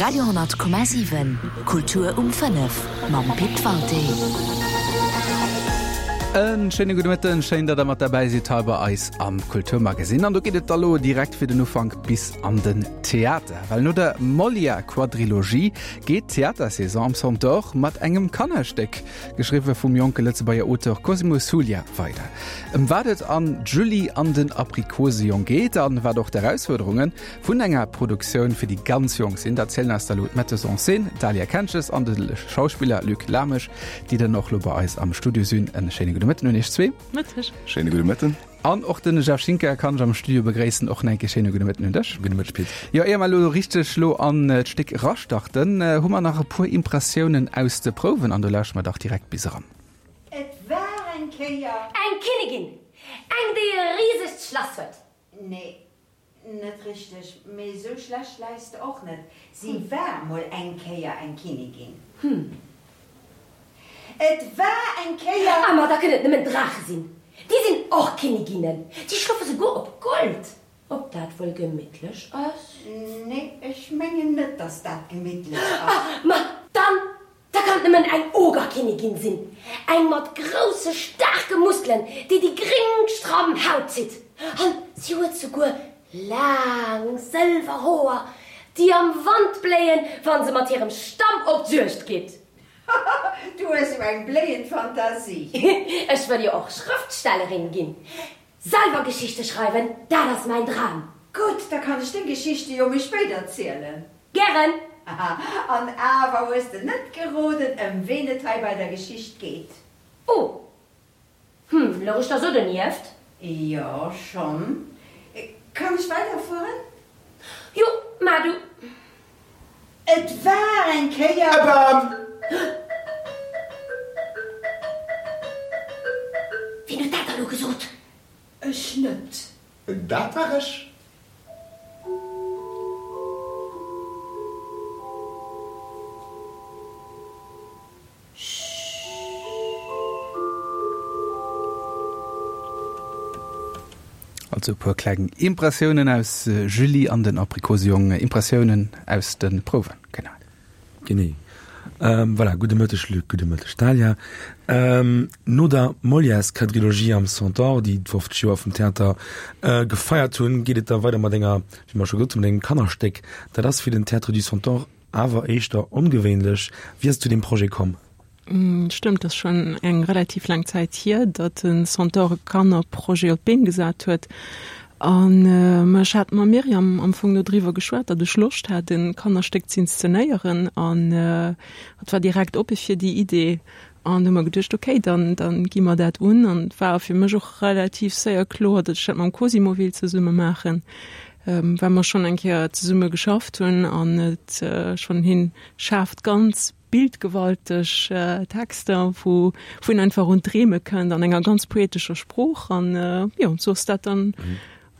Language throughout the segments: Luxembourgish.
Radio 10,7 Kultur um 5 mam Pit Walté. En schéine gudde Mëtten, schéin, datt der mat derbäi sidd hei bei eis am Kulturmagasinn. An do geet et da lo direkt fir den Ufank bis an den Theater. Well no der Molière-Quadrilogie geet d'Theatersaison am Centaure mat engem Kannerstéck, geschriwwe vum jonke Lëtzebuerger Auteur Cosimo Suglia, weider. Ëm wat et an Julie an den Aprikosejong geet an wat och d'Erausfuerderunge Vun enger Produktioun fir déi ganz Jonk sinn, dat zielen eis da lo d'Metteuse en scène Dahlia Kentges an de Schauspiller Luc Lamesch, déi dann och lo bei eis am Studio sinn. En schéine gudde Mëtten un iech zwee. Mëtteg. Schéine gudde Mëtten. An och den Jeff Schinker kann ech am Studio begréissen. Och nach eng Kéier schéine gudde Mëtten un dech. Gudde Mëtteg, Pit. Jo, éier mer elo richteg lo an d'Stéck erastarten, hu mer nach e puer Impressiounen aus de Prouwen an do lauschteren mer dach direkt bis eran. Et war eng Kéier. Eng Kinnigin, eng déi e risegt Schlass huet. Nee, Net richteg, mee esou schlecht läis de och net. Si war mol eng Kéier eng Kinnigin. Hm. Et war eng Kéier. Ah, ma da kënnen et nëmmen Draache sinn. Déi sinn och Kinniginnen. Déi schlofe souguer op Gold. Ob dat wuel gemittlech ass? Nee, ech mengen net, dass dat gemittlech ass. Ah, ma dann Da kann et nëmmen eng Ogerkinnigin sinn, eng mat grousse, staarke Muskelen, déi déi gréng stramm Haut zitt. An si huet souguer laang sëlwer Hoer, déi am Wand bléien, wa se mat hirem Stamm op d'Juegd geet. Du hues jo eng bléiend Fantasie. Ech wëll jo och Schrëftstellerin ginn. Selwer Geschichte schreiwen, dat ass mäin Dram. Gutt, da kann ech deng Geschichte jo méi spéit erzielen. Gären! Haha, an awer hues de net geroden, ëm ween et hei bei der Geschicht geet. Oh! Hm, louch ech da sou donieft? Jo, schonn. Kann ech weiderfueren? Jo, maach du. Et war eng Kéier. E Bam! Wien huet dat da lo gesot? Ech net. Dat war ech. Also e puer kleng Impressiounen aus Julie an den Aprikosejong, Impressiounen aus de Prouwen, genau. Genee. Voilà, gudde Mëtteg Luc, gudde Mëtteg Dahlia. No der Molières-Quadrilogie am Centaure, déi d'50 Joer vum Theater gefeiert hunn, geet et da weider mat enger, wéi mer scho gesot hunn, mat engem Kannerstéck. Dat ass fir den Théâtre du Centaure Awer éischter ongewéinlech. Wéi ass et zu deem Projet komm? Stëmmt, ass schonn eng relativ laang Zäit hier, datt den Centaure e Kannerprojet op d'Been gesat huet. An ech hat mam Myriam am Fong dodriwwer geschwat, datt ech Loscht hat, e Kannerstéck z'inszenéieren. An hatt war direkt oppe fir déi Idee. An du hu mer geduecht, okay, dann, dann gi mer dat un. An et war fir mech och relativ séier kloer, datt ech dat mam Cosimo wéilt zesumme maachen, well mer schonn eng Kéier zesumme geschafft hunn an et schonn hien schaaft ganz bildgewalteg Texter, wou wou een einfach un d'Dreeme kënnt an enger ganz poetescher Sprooch. An jo, sou ass dat dann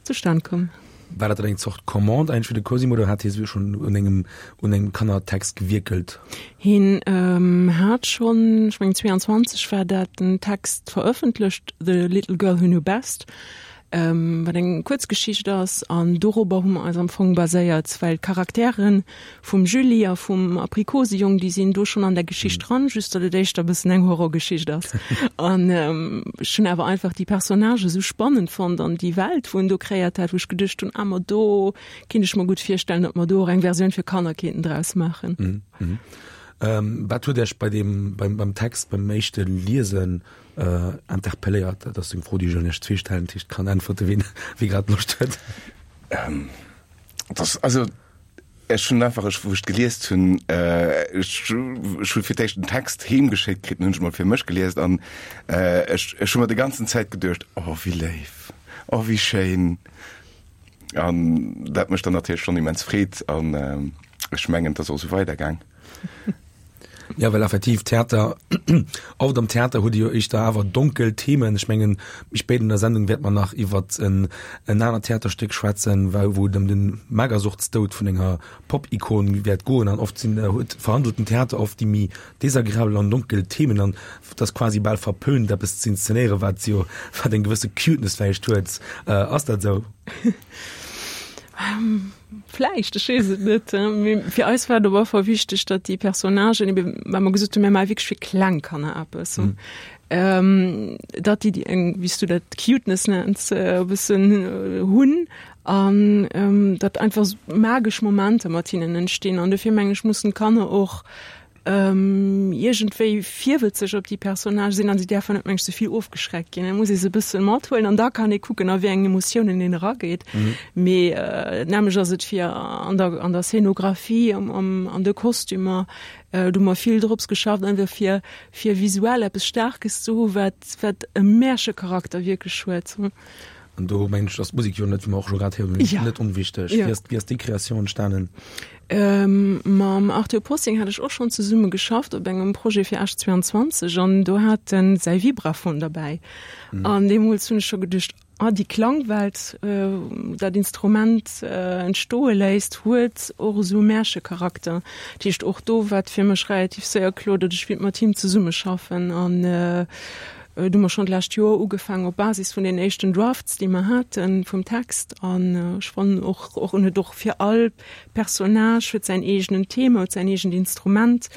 zustan komm. War dat dann eng Zort Commande eigentlech fir de Cosimo oder hat hie sou schonn un engem un engem Kannertext gewierkelt? Hien hat schonn, ech mengen 22 war dat, en Text verëffentlecht, The Little Girl Who Knew Best, wat eng Kuerzgeschicht ass an dorobber hu mer eis am Fong baséiert, well d'Charakteren vum Julie a vum Aprikosejong, déi sinn do schonn an der Geschicht dran, just datt et éischter e bëssen eng Horrorgeschicht ass. An ech hunn awer einfach déi Personnagë sou spannend fonnt an déi Welt, wou en do kreéiert hat, wou ech geduecht hunn, ah ma do kéint ech mer gutt virstellen, datt mer do och eng Versioun fir Kanner kéinten draus maachen. Wat huet Iech bei deem, beim, beim Text, beim éischte Liesen interpelléiert? Dat ass eng Fro, déi ech un Iech zwee stellen, dat heescht, kann äntwerte wien, wie grad Loscht huet. Dat ass, also Ech hunn einfach, ech, wou ech d'geliest hunn, ech, ech hu fir d'éischt den Text heem geschéckt kritt, den hunn ech mol fir mech geliest an ech, ech hu mer déi ganzen Zäit geduecht, oh wéi léif, oh wéi schéin. An dat mécht dann natierlech schonn immens Freed an ech mengen, et ass och esou weidergaang. Ja, well effektiv Theater, oft am Theater hutt Dir jo éischter awer donkel Themen. Ech mengen, méi spéit an der Sendung wäert mer nach iwwert en en anert Theaterstéck schwätzen, wou wou et ëm de Magersuchtsdoud vun enger Pop-Ikon wäert goen. An oft sinn huet verhandelt den Theater oft déi méi desagreabel an donkel Themen an et ass quasi bal verpönt eppes ze inszenéieren, wat jo wat eng gewësse Cuteness vläicht huet. Ass dat esou? Vläicht, ech weess et net. Mee fir eis war et op alle Fall wichteg, datt déi Personnagen ebe, well mer gesot hunn, mir maache wierklech fir kleng Kanner eppes, datt déi déi eng, wéi s du dat Cuteness nenns, e bëssen hunn an datt einfach magesch Momenter mat hinnen entstinn. An dofir mengen ech, mussen d'Kanner och iergendwéi virwëtzeg op déi Personnage sinn an si däerfen net meng ech ze vill ofgeschreckt ginn. Et muss ee se e bësse mathuelen an da kann ee kucken a wéi eng Emotiounen een erageet. Mee nämlech ass et fir an der an der Scénographie, am am an de Kostümer, do hu mer vill drops geschafft einfach fir fir visuell eppes Staarkes ze hu wat wat e Märchecharakter wierklech huet. An do mengen ech, ass d'Musek jo net, wéi mer och scho grad héieren hunn, net onwichteg. Wéi ass, wéi ass déi Kreatioun entstanen? Mam Arthur Possing hat ech och schonn zesumme geschafft op engem Projet fir Esch 22 an do hat en säi Vibraphon derbäi. An deemools hunn ech scho geduecht, ah déi Klangwelt, dat Instrument entstoe léisst, huet och esou e Märchecharakter. Dat heescht och do war et fir mech relativ séier kloer, datt ech wéilt mat him zesummeschaffen an Do hu mer schonn d'lescht Joer ugefaangen op Basis vun den éischten Drafts, déi mer haten vum Text. An ech fannen och, och en huet och fir all Personnage huet säin eegenen Thema, huet säin eegent Instrument.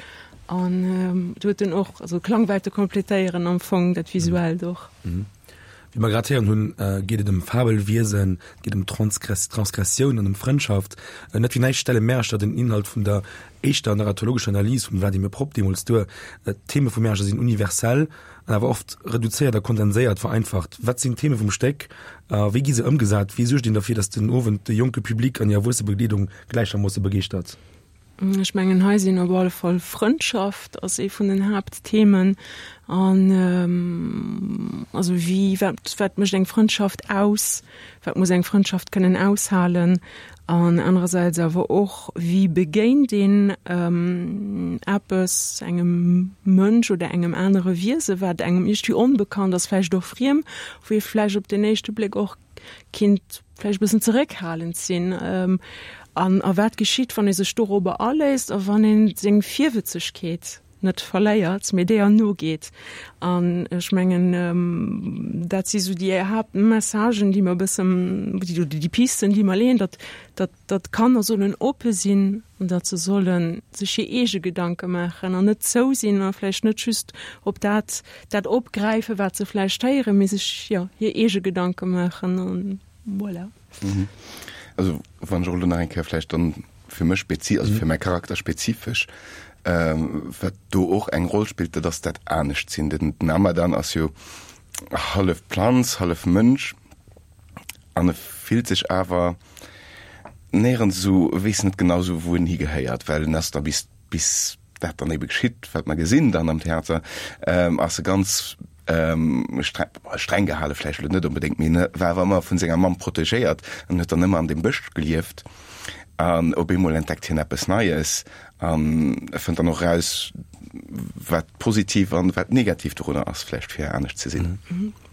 An do huet en och, also Klangwelte kompletéieren am Fong dat Visuellt och. Wéi mer grad héieren hunn, geet et ëm Fabelwiesen, et geet ëm Transgressioun an ëm Frëndschaft. Net fir näischt stelle Märercher den Inhalt vun der éischter narratologescher Analys vum Vladimir Propp deemools duer. D'Theme vu Märercher sinn universell an awer oft reduzéiert a kondenséiert, vereinfacht. Wat sinn d'Theme vum Stéck a wéi gi se ëmgesat? Wéi suergt een derfir, datt den Owend de jonke Public an déi erwuesse Begleedung gläichermoosse begeeschtert? Ech mengen hei sinn op alle Fall Frëndschaft ass ee vun den Haaptthemen an also wéi wat wat mécht eng Frëndschaft aus, wat muss eng Frëndschaft kënnen aushalen an anerersäits awer och wéi begéint een eppes, engem Mënsch oder engem anere Wiese wat engem iergendwéi onbekannt ass, vläicht och friem, wou ee vläicht op den éischte Bléck och kinnt vläicht e bëssen zeréckhalend sinn. An a wat geschitt, wann ee sech dorobber aléisst a wann ee seng Virwëtzegkeet net verléiert, mee deeër nogeet. An ech mengen, dat si sou déi Haaptmessagen, déi mer e bëssen, oder déi Pisten, déi mer leeën, datt, datt, datt d'Kanner sollen oppe sinn an datt se solle sech hir eege Gedanke maachen an net zou sinn a vläicht net just op dat, dat opgräifen, wat se vläicht héieren, mee sech, jo, hir eege Gedanke maachen an voilà. Also wann ech och elo nach eng Kéier vläicht dann fir mech spezi-, also fir mäi Charakter spezifesch, wat do och eng Roll spillt, dat ass dat Anescht-Sinn. Den Ramadan ass jo hallef Planz, hallef Mënsch an e fillt sech awer néierens esou, e weess net genau esou, wou en higehéiert, well en ass da bis, bis dat dann ebe geschitt, wat mer gesinn dann am Theater, ass e ganz streng gehale vläicht elo net onbedéngt, mee en war awer ëmmer vun senger Mamm protegéiert an huet dann ëmmer an deem Bësch gelieft. An op eemol entdeckt hien eppes Neies an e fënnt dann och eraus, wat positiv an wat negativ dorunner ass, vläicht fir anescht ze sinn.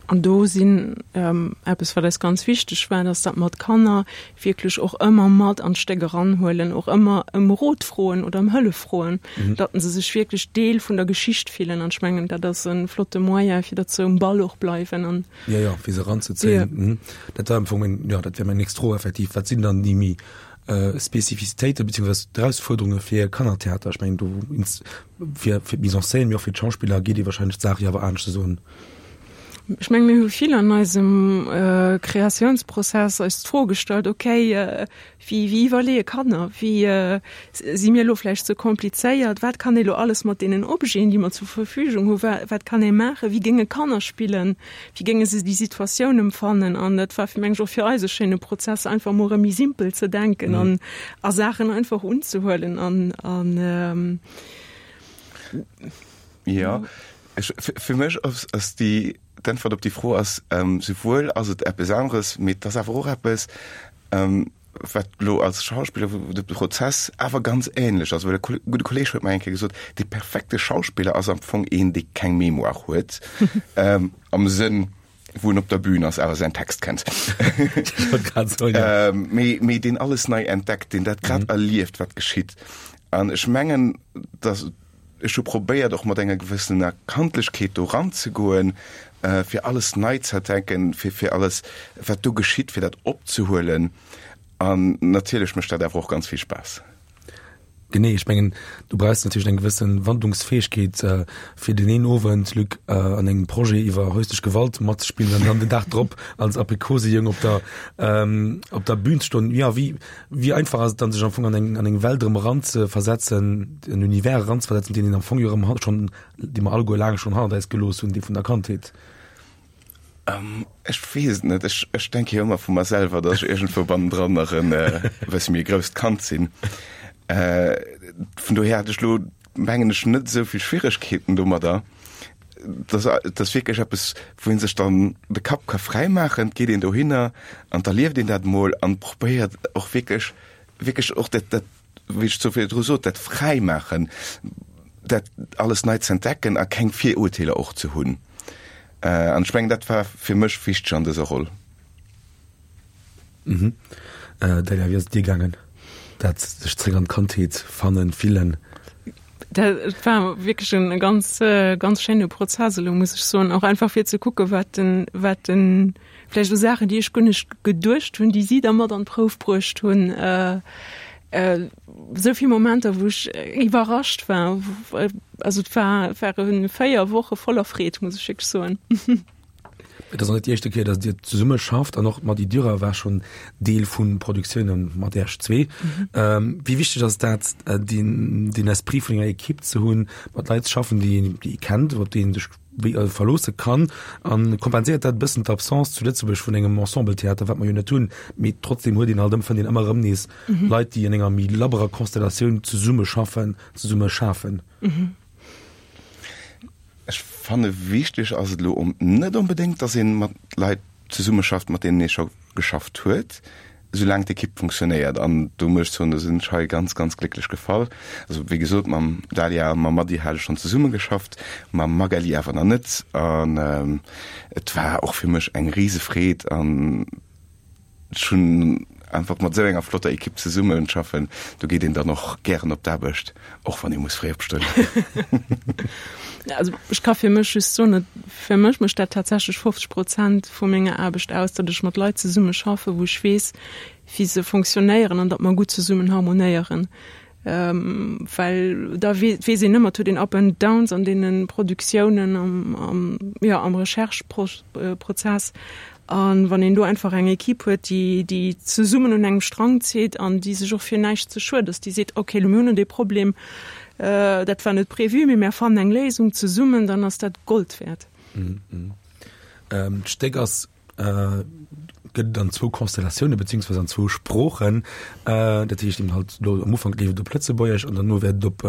An do sinn eppes, wat eis ganz wichteg war, dass dat mer d'Kanner wierklech och ëmmer mat an d'Stéck eranhuelen, och ëmmer ëm Rot froen oder ëm Hëllef froen, datt se sech wierklech Deel vun der Geschicht fillen. An ech mengen, dat ass e flotte Moyen, fir datt se um Ball och bleiwen. An Jo, jo, fir se eranzezéien. Dat war am Fong meng, jo, dat wär meng nächst Fro effektiv. Wat sinn dann déi méi Spezifizitéiten beziehungsweise d'Erausfuerderunge fir Kannertheater? Ech mengen, do fir fir d'Mise en scène, mee och fir d'Schauspiller geet ee wahrscheinlech d'Saach jo awer aneschters un. Ech menge mir hu vill an eisem Kreatiounsprozess eis d'Fro gestallt, okay, wéi wéi iwwerleeë Kanner, wéi si mir elo vläicht ze komplizéiert, wat kann ee lo alles mat deenen Objeten, déi mer zur Verfügung hu, wat kann ee maachen, wéi géinge Kanner spillen, wéi géinge se déi Situatioun empfannen. An dat war meng ech och fir eis e schéine Prozess, einfach emol erëm méi simpel ze denken an a Saachen einfach unzehuelen an an. Jo, Ech, fir mech ass, ass déi, d'Äntwert op déi Fro ass, souwuel ass et eppes aneres, mee et ass awer och eppes, wat elo als Schauspiller, wou de Prozess awer ganz ähnlech ass. Well e gudde Kolleeg huet mer eng Kéier gesot, dee perfekte Schauspiller ass am Fong een, dee keng Mémoire huet, am Sënn, wou en op der Bühn ass, awer säin Text kennt. Mee, mee deen alles nei entdeckt, deen dat grad erlieft, wat geschitt. An ech mengen, datt Ech hu probéiert och mat enger gewëssener Kandlechkeet do ranzegoen, fir alles nei ze entdecken, fir fir alles wat do geschitt, fir dat opzehuelen. An natierlech mécht dat awer och ganz vill Spaass. Genee, ech mengen, du brauchs natierlech eng gewësse Wandlungsfäegkeet, fir deen een Owend, Luc, an engem Projet iwwer häuslech Gewalt matzespillen an dann den Dag drop als Aprikosejong op der, op der Bühn ze stoen. Jo, wéi, wéi einfach ass et dann, sech am Fong an eng, an eng Welt erëm eranzeversetzen, en Univers eranzeversetzen, deen een am Fong jo erëm schonn, dee mer alleguer laang schonn hannert eis gelooss hunn, dee vun der Kandheet? Ech weess et net. Ech, ech denke jo ëmmer vu mer selwer, datt ech iergendwou bannendran nach en e bësse méi grousst Kand sinn. Vun dohier hat ech elo, mengen ech, net esou vill Schwieregkeeten domadder. Dat ass, dat ass wierklech eppes, wou ee sech dann de Kapp ka fräi maachen. Et geet een dohinner an da lieft een dat emol an probéiert och wierklech, wierklech och dat, dat, wéi ech sou virdru sot, dat Fräimaachen, dat alles nei ze entdecken a keng Virurteeler och ze hunn. An ech mengen, dat war fir mech wichteg an dëser Roll. Mhm. Delia, wéi ass et dir gaangen, dat sech zréck an d'Kandheet fannen, fillen? Dat war wierklech en ganz, ganz schéine Prozess elo, muss ech soen. Och einfach fir ze kucken, wat den, wat den, vläicht u Saachen, déi ech guer net geduecht hunn, déi si da mat an d'Prouf bruecht hunn. Esou vill Momenter, wou ech iwwerrascht war. Also et war, et ware 4 Woche voller Freed, muss ech wierklech soen. Et ass och net déi éischte Kéier, datt Dir zesumme schafft an och d'Mady Durrer war schonn Deel vu Produktioune mat Iech zwee. Wéi wichteg ass dat, deen, deen Esprit vun enger Ekipp ze hunn, mat Leit ze schaffen, déi een, déi ee kennt, op déi ee sech wéi verloosse kann? A kompenséiert dat e bëssen d'Absence zu Lëtzebuerg vun engem Ensembletheater, wat mer jo net hunn, mee trotzdem huet een halt ëm, fënnt een ëmmer erëm nees Leit, déi an enger méi labberer Konstellatioun zesumme schaffen, zesumme schafen? Ech fanne wichteg ass et elo net onbedéngt, datt ee mat Leit zesummeschafft, mat deenen ee scho geschafft huet, soulaang d'Ekipp funktionéiert. An do muss ech soen, do sinn ech hei ganz, ganz glécklech gefall. Also wéi gesot, mam Dalia a mam Mady hat ech schonn zesummegeschafft, mam Magali awer nach net. An et war och fir mech eng Risefreed an Ech hunn einfach mat esou enger flotter Ekipp zesummen schaffen, do geet een dann och gären op d'Aarbecht, och wann ee muss fréi opstoen. Also ech ka fir mech just soen, et fir mech mécht dat tatsächlech 50 Prozent vu menger Aarbecht aus, datt ech mat Leit zesumme schaffen, wou ech weess, wéi se fonctionnéieren an datt mer gutt zesummen harmonéieren. Well da weess een ëmmer, et huet een Up and Downs an deene Produktiounen, am, jo, am Recherche-Prozess. A wann een do einfach eng Equipe huet, déi, déi zesummen un engem Strang zitt an déi sech och fir näischt ze schued ass, déi seet, okay, elo mir hunn elo dee Problem, dat war net prévu, mee mär fannen eng Léisung zesummen, dann ass dat Gold wäert. D'Stéck ass gëtt et an zwou Konstellatioune beziehungsweise an zwou Sproochen. Dat heescht eben halt do am Ufank leeft et op Lëtzebuergesch an derno wäert et op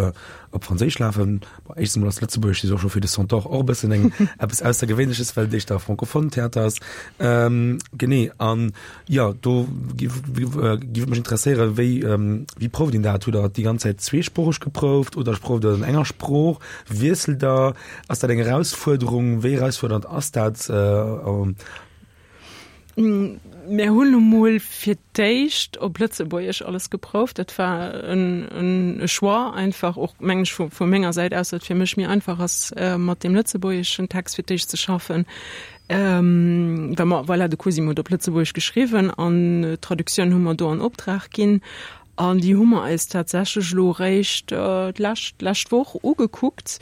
op Franséisch lafen. Bon, éischtens emol ass Lëtzebuergesch jo scho fir de Centaure och e bëssen eng eppes Aussergewéinleches, well et éischter francophone Theater ass. Genee, an jo, do giff giff et mech interesséieren, wéi wéi prouft een dat? Hutt Der déi ganz Zäit zweesproocheg geprouft oder prouft Der an enger Sprooch? Wiesselt Der? Ass dat eng Erausfuerderung? Wéi erausfuerdernd ass dat? Mir hunn emol fir d'éischt op Lëtzebuergesch alles geprouft. Dat war en Choix einfach och, mengen ech, vu menger Säit aus, datt et fir mech méi einfach ass, mat deem lëtzebuergeschen Text fir d'éischt ze schaffen. Well mer, voilà, de Cosimo huet op Lëtzebuergesch geschriwwen an d'Traductioun hu mer do an Optrag ginn. An déi hu mer eis tatsächlech elo eréischt d'lescht, d'lescht Woch ugekuckt,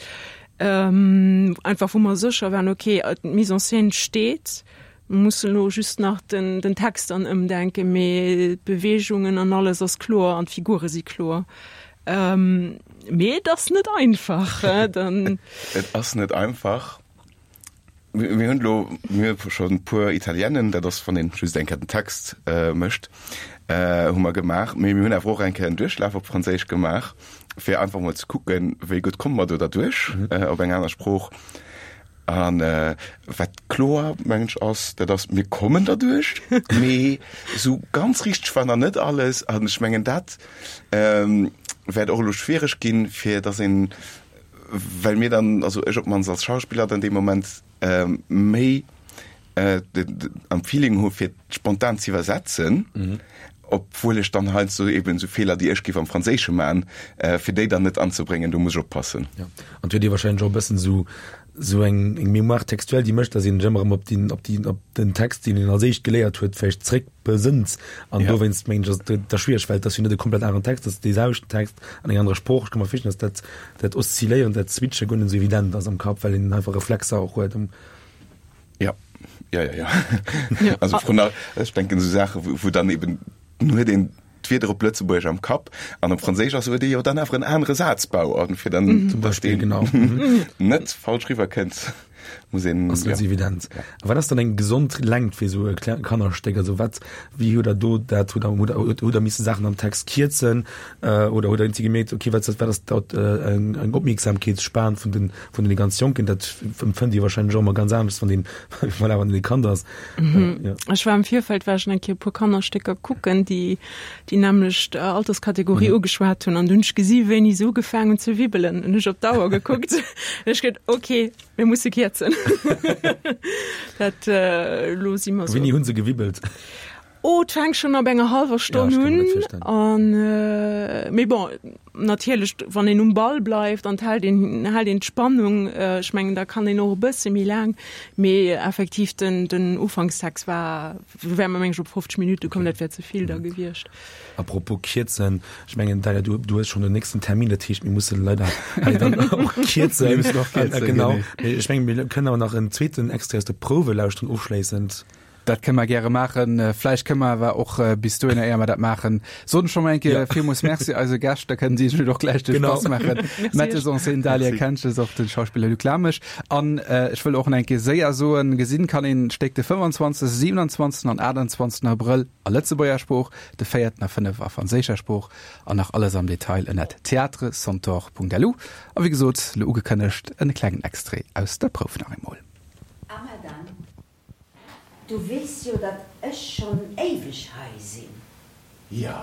einfach wou mer sécher waren, okay, d'Mise en scène steet, mer mussen elo just nach den, den Text dann ëmdenken, mee d'Beweegungen an alles ass kloer an d'Figure si kloer. Mee et ass net einfach. Dann. Et ass net einfach. Mir hunn elo, mir hu schonn e puer Italienen, dat ass wann een just eng Kéier den Text mécht, hu mer gemaach, mee mir hunn awer och eng Kéier en Duerchlaf op Franséisch gemaach, fir einfach mol ze kucken, wéi gutt komme mer do derduerch op eng aner Sprooch. A wat kloer, mengen ech, ass, dat ass, mir kommen derduerch, mee esou ganz richteg war nach net alles. An ech mengen, dat wäert och elo schwiereg ginn, fir datt een, well mir dann, also ech op d'mannst als Schauspiller dann dee Moment méi am Feeling hu fir spontan ze iwwersetzen, obwuel ech dann heiansdo eben esou Feeler, déi ech géif am Franséische man, fir déi dann net anzebréngen, do muss ech oppassen. Ja, an et huet ee wahrscheinlech och e bëssen esou. Sou eng eng Mémoire textuelle, déi mécht, datt een sech ëmmer erëm op déi, op déi, op den Text, deen een als éischt geléiert huet, vläicht zréck besënnt. An Ja. dowéinst mengen ech, ass et da schwiereg, well et ass jo net e komplett aneren Text, et ass dee selwechten Text an enger anerer Sprooch. Ech ka mer virstellen, datt dat, dat Oszilléieren, dat Switche guer net esou evident ass am Kapp, well een einfach Reflexer och huet. Ja, ja, ja, ja. ja. Also vrun all, ech denken esou Saache, wou, wou dann eben, dann huet een d'Wierder op Lëtzebuergesch am Kapp an op Franséisch ass huet ee jo dann awer en anere Sazbau an fir dann Zum dass Beispill, deen genau. net falsch riwwer kënnt, muss een, Ass net ja. esou evident. A wat ass dann eng gesond Längt fir esou e kleng Kannerstéck? Also wat, wéi hutt der do dat, hutt der, hutt der, hutt der misse Saachen am Text kierzen oder hutt der iergendwéi gemierkt, okay, wat wat ass dat eng eng Opmierksamkeetsspan vun den vun den ganz Jonken? Dat empfënnt Dir wahrscheinlech och ëmmer ganz anescht, wann een, voilà, wann een e Kand ass. Mhm. Ja. Ech war am Virfeld war ech eng Kéier e puer Kannerstécker kucken, déi déi nämmlecht Alterskategorie mhm. ugeschwat hunn an dunn ech gesi wéini se ugefaangen hunn ze wibbelen an ech op d'Auer gekuckt. Ech geet okay, mir musse kierzen. Dat äh, lo si mer so. Wéini hunn se gewibbelt? Oh, et fänkt schonn ab enger hallwer Stonn Ja, ech kann mir dat un. virstellen. An, äh, mee bon, natierlech, wann een um Ball bleift an et hält een, hält een d'Spannung, äh, ech mengen, da kann een och e bësse méi laang. Mee effektiv, den, den Ufankstext war, do wäre mer, meng ech, op 50 Minutte komm, dat wär ze vill da gewiescht. Apropos kierzen, ech mengen, Dalia, du, du hues schonn den nächsten Termin, dat heescht, mir musse leider hei dann och kierzen. Mir müssen och kierzen, Genau. genee. Mee ech mengen, mir kënnen awer nach en zweeten Extrait aus der Prouwe lauschteren ofschléissend. Dat kënne mer gäre maachen. Vläicht kënne mer awer och bis dohinner, éier mer dat maachen, soen ech scho mol eng Kéier villmools Merci eise Gäscht. Da kënnen si sech och gläich de Spass maachen. Metteuse en scène Dahlia Kentges, och den Schauspiller Luc Lamesch. An ech wëll och nach eng Kéier séier soen, gesinn kann een d'Stéck de 25., 27. an 28. Abrëll a Lëtzebuerger Sprooch, de 4. a 5. a franséischer Sprooch an nach alles am Detail ënnert theatrecentaure.lu. A wéi gesot, lo ugekënnegt, en klengen Extrait aus der Prouf nach eemol. A Madame, Du weess jo, datt ech schonn éiweg hei sinn. Jo,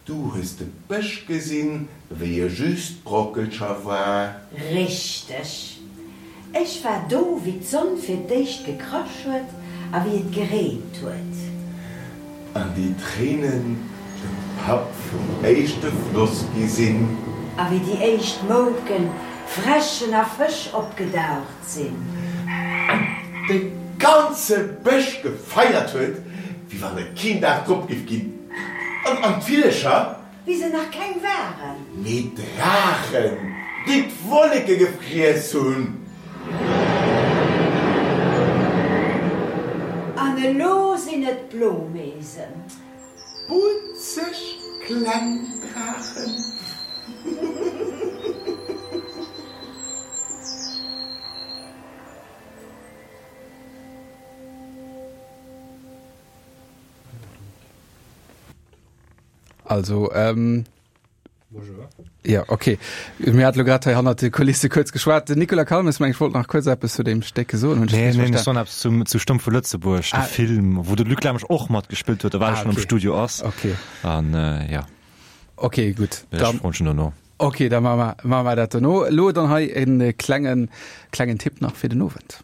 du hues de Bësch gesinn, wéi e just Brockelcher war. Richteg. Ech war do, wéi d'Sonn fir d'éischt gekrasch huet a wéi et gereent huet. An déi Tréinen de Papp vum éischte Floss gi sinn. A wéi déi éischt Mouken, Fräschen a Fësch opgedaucht sinn. An de ganze Bësch gefeiert huet, wéi wann et keen Dag drop giff ginn. An an d'Villecher. Wéi se nach keng waren. Mee d'Draachen, déi d'Wolleke gefriess hunn. An elo sinn et d'Blomeesen. Butzeg kleng Draachen. Also, ähm, Ja, okay. Mir hat lo grad hei hannert de Kulisse kuerz geschwat. Den Nicolas Calmes, meng ech, wollt nach kuerz eppes zu deem Stéck soen. Hunn ech Nee, richtig nee, ech verstan? soen eppes zum, zu Stumm vu Lëtzebuerg, de Ah. Film, wou de Luc Lamesch och matgespillt huet, a well Ah, schon am okay. Studio ass. Okay. An äh, ja, Okay, gutt. ech Dann, froen schon dono. okay, da maache mer, maache mer dat dono. Elo dann hei en klengen, klengen Tipp nach fir den Owend.